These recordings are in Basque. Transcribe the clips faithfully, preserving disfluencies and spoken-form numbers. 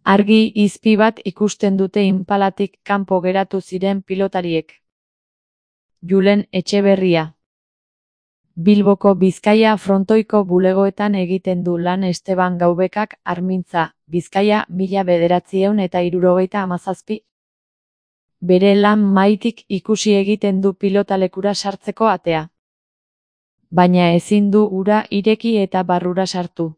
Argi izpi bat ikusten dute Inpalatik kanpo geratu ziren pilotariek. Julen Etxeberria. Bilboko Bizkaia frontoiko bulegoetan egiten du lan Esteban Gaubekak Armintza, Bizkaia mila bederatziehun eta hirurogeita hamazazpi. Bere lan maitik ikusi egiten du pilotalekura sartzeko atea. Baina ezin du ura ireki eta barrura sartu.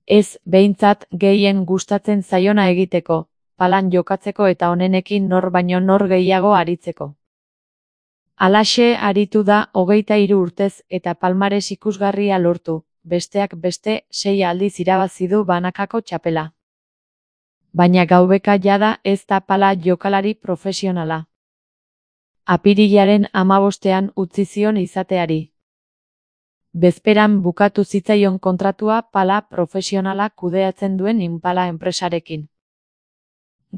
Ez, behintzat, gehien gustatzen zaiona egiteko, palan jokatzeko eta onenekin nor baino nor gehiago aritzeko. Halaxe aritu da hogeita hiru urtez eta palmares ikusgarria lortu, besteak beste sei aldiz irabazi du banakako txapela. Baina Gaubeka jada ez da pala jokalari profesionala. Apirilaren hamabostean utzi zion izateari. Bezperan bukatu zitzaion kontratua pala profesionala kudeatzen duen Inpala enpresarekin.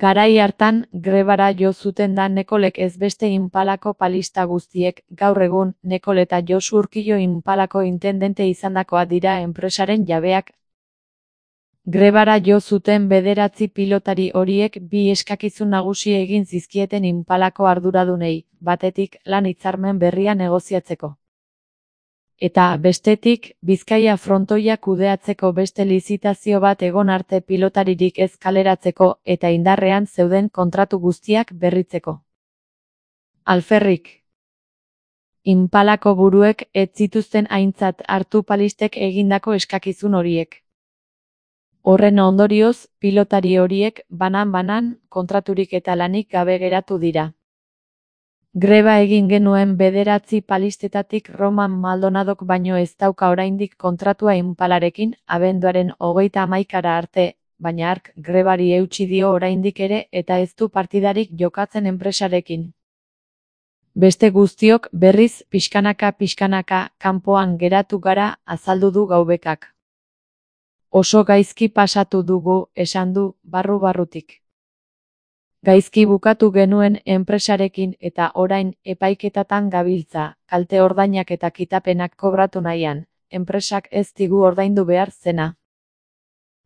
Garai hartan, grebara jo zuten da Nekolek ez beste Inpalako palista guztiek, gaur egun, Nekol eta Josu Urkillo Inpalako intendente izandakoa dira enpresaren jabeak. Grebara jo zuten bederatzi pilotari horiek bi eskakizun nagusi egin zizkieten Inpalako arduradunei, batetik lan hitzarmen berria negoziatzeko. Eta, bestetik, Bizkaia frontoia kudeatzeko beste lizitazio bat egon arte pilotaririk ez kaleratzeko eta indarrean zeuden kontratu guztiak berritzeko. Alferrik. Inpalako buruek ez zituzten aintzat hartu palistek egindako eskakizun horiek. Horren ondorioz, pilotari horiek banan-banan kontraturik eta lanik gabe geratu dira. Greba egin genuen bederatzi palistetatik Roman Maldonadok baino ez dauka oraindik kontratua Inpalarekin, abenduaren hogeita hamaikara arte, baina hark grebari eutsi dio oraindik ere eta ez du partidarik jokatzen enpresarekin. Beste guztiok berriz pixkanaka-pixkanaka kanpoan geratu gara, azaldu du Gaubekak. Oso gaizki pasatu dugu, esan du, barru-barrutik. Gaizki bukatu genuen enpresarekin eta orain epaiketatan gabiltza, kalte ordainak eta kitapenak kobratu nahian, enpresak ez digu ordaindu behar zena.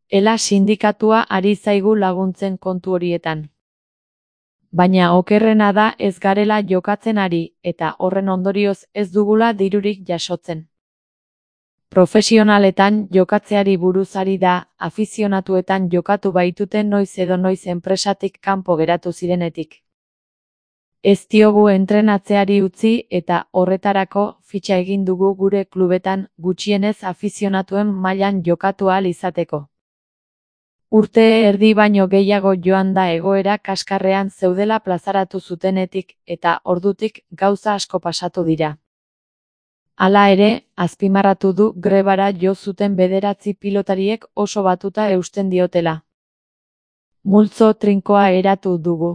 Ela sindikatua ari zaigu laguntzen kontu horietan. Baina okerrena da ez garela jokatzen ari, eta horren ondorioz ez dugula dirurik jasotzen. Profesionaletan jokatzeari buruz ari da, afizionatuetan jokatu baituten noiz edo noiz enpresatik kanpo geratu zirenetik. Ez diogu entrenatzeari utzi eta horretarako fitxa egin dugu gure klubetan gutxienez afizionatuen mailan jokatu ahal izateko. Urte erdi baino gehiago joan da egoera kaskarrean zeudela plazaratu zutenetik eta ordutik gauza asko pasatu dira. Hala ere, azpimarratu du grebara jo zuten bederatzi pilotariek oso batuta eusten diotela. Multzo trinkoa eratu dugu.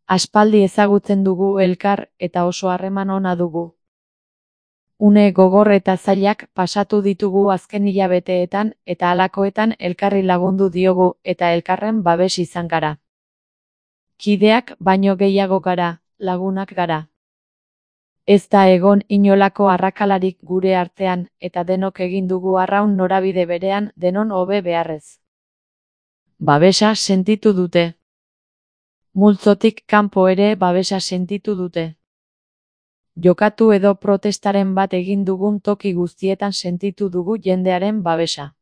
Aspaldi ezagutzen dugu elkar eta oso harreman ona dugu. Une gogor eta zailak pasatu ditugu azken hilabeteetan eta halakoetan elkarri lagundu diogu eta elkarren babes izan gara. Kideak baino gehiago gara, lagunak gara. Ez da egon inolako arrakalarik gure artean, eta denok egin dugu arraun norabide berean denon hobe beharrez. Babesa sentitu dute. Multzotik kanpo ere babesa sentitu dute. Jokatu edo protestaren bat egin dugun toki guztietan sentitu dugu jendearen babesa.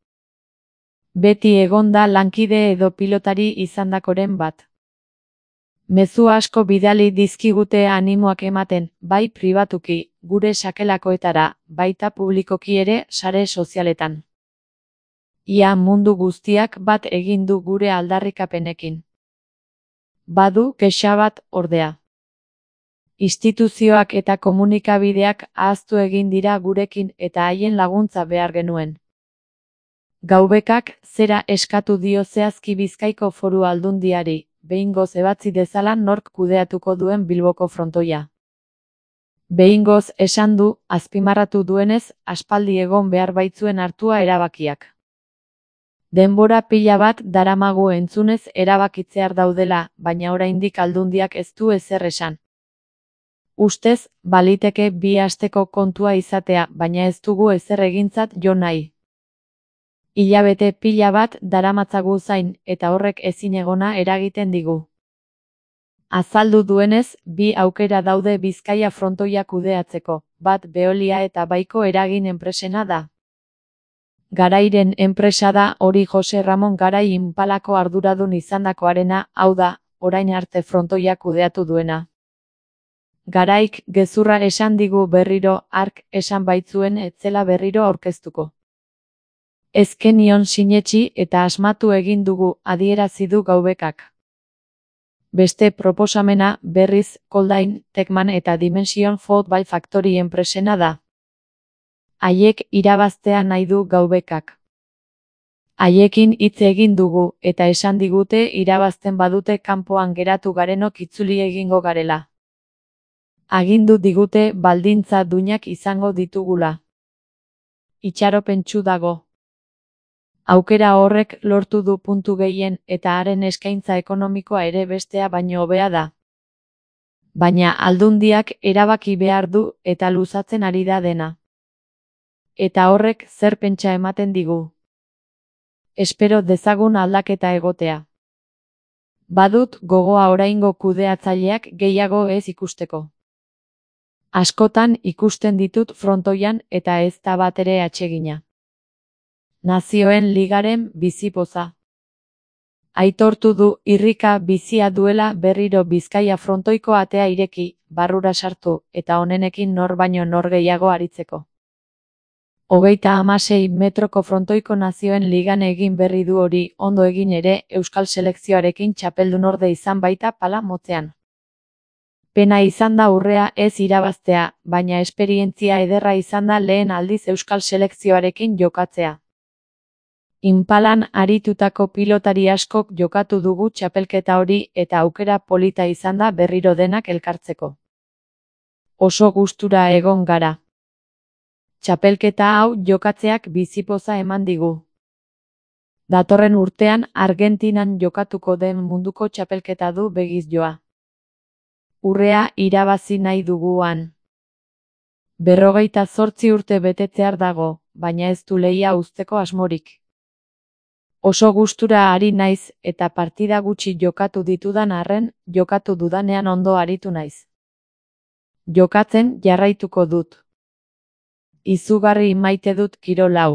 Beti egon da lankide edo pilotari izandakoren bat. Mezu asko bidali dizkigute animoak ematen, bai pribatuki, gure sakelakoetara, baita publikoki ere sare sozialetan. Ia mundu guztiak bat egin du gure aldarrikapenekin. Badu kexa bat, ordea. Instituzioak eta komunikabideak ahaztu egin dira gurekin eta haien laguntza behar genuen. Gaubekak zera eskatu dio zehazki Bizkaiko Foru Aldundiari, behingoz ebatzi dezala nork kudeatuko duen Bilboko frontoia. Behingoz esan du, azpimarratu duenez, aspaldi egon behar baitzuen hartua erabakiak. Denbora pila bat daramagu entzunez erabakitzear daudela, baina oraindik Aldundiak ez du ezer esan. Ustez, baliteke bi asteko kontua izatea, baina ez dugu ezer egintzat jo nahi. Hilabete pila bat daramatzagu zain eta horrek ezinegona eragiten digu. Azaldu duenez, bi aukera daude Bizkaia frontoia kudeatzeko, bat Veolia eta Baiko eragin enpresena da. Garairen enpresa da hori Jose Ramon Garai Inpalako arduradun izandakoarena, hau da, orain arte frontoia kudeatu duena. Garaik gezurra esan digu berriro, hark esan baitzuen ez zela berriro aurkeztuko. Ezkenion sinetsi eta asmatu egin dugu, adierazi du Gaubekak. Beste proposamena, berriz, Koldain, Tekman eta Dimension Football Factory enpresena da. Haiek irabaztea nahi du Gaubekak. Haiekin hitz egin dugu, eta esan digute irabazten badute kanpoan geratu garenok itzuli egingo garela. Agindu digute baldintza duinak izango ditugula. Itxaropentsu dago. Aukera horrek lortu du puntu gehien eta haren eskaintza ekonomikoa ere bestea baino hobea da. Baina aldundiak erabaki behar du eta luzatzen ari da dena. Eta horrek zer pentsa ematen digu. Espero dezagun aldaketa egotea. Badut gogoa oraingo kudeatzaileak gehiago ez ikusteko. Askotan ikusten ditut frontoian eta ez da batere atsegina. Nazioen Ligaren bizipoza. Aitortu du irrika bizia duela berriro Bizkaia frontoiko atea ireki, barrura sartu, eta honenekin nor baino nor gehiago aritzeko. Hogeita hamasei metroko frontoiko Nazioen Ligan egin berri du hori, ondo egin ere, Euskal selekzioarekin txapeldun orde izan baita pala motzean. Pena izan da urrea ez irabaztea, baina esperientzia ederra izan da lehen aldiz Euskal selekzioarekin jokatzea. Inpalan aritutako pilotari askok jokatu dugu txapelketa hori eta aukera polita izan da berriro denak elkartzeko. Oso gustura egon gara. Txapelketa hau jokatzeak bizipoza eman digu. Datorren urtean Argentinan jokatuko den munduko txapelketa du begiz joa. Urrea irabazi nahi duguan. Berrogeita zortzi urte betetzear dago, baina ez du lehia uzteko asmorik. Oso gustura ari naiz eta partida gutxi jokatu ditudan arren, jokatu dudanean ondo aritu naiz. Jokatzen jarraituko dut. Izugarri maite dut kirol hau.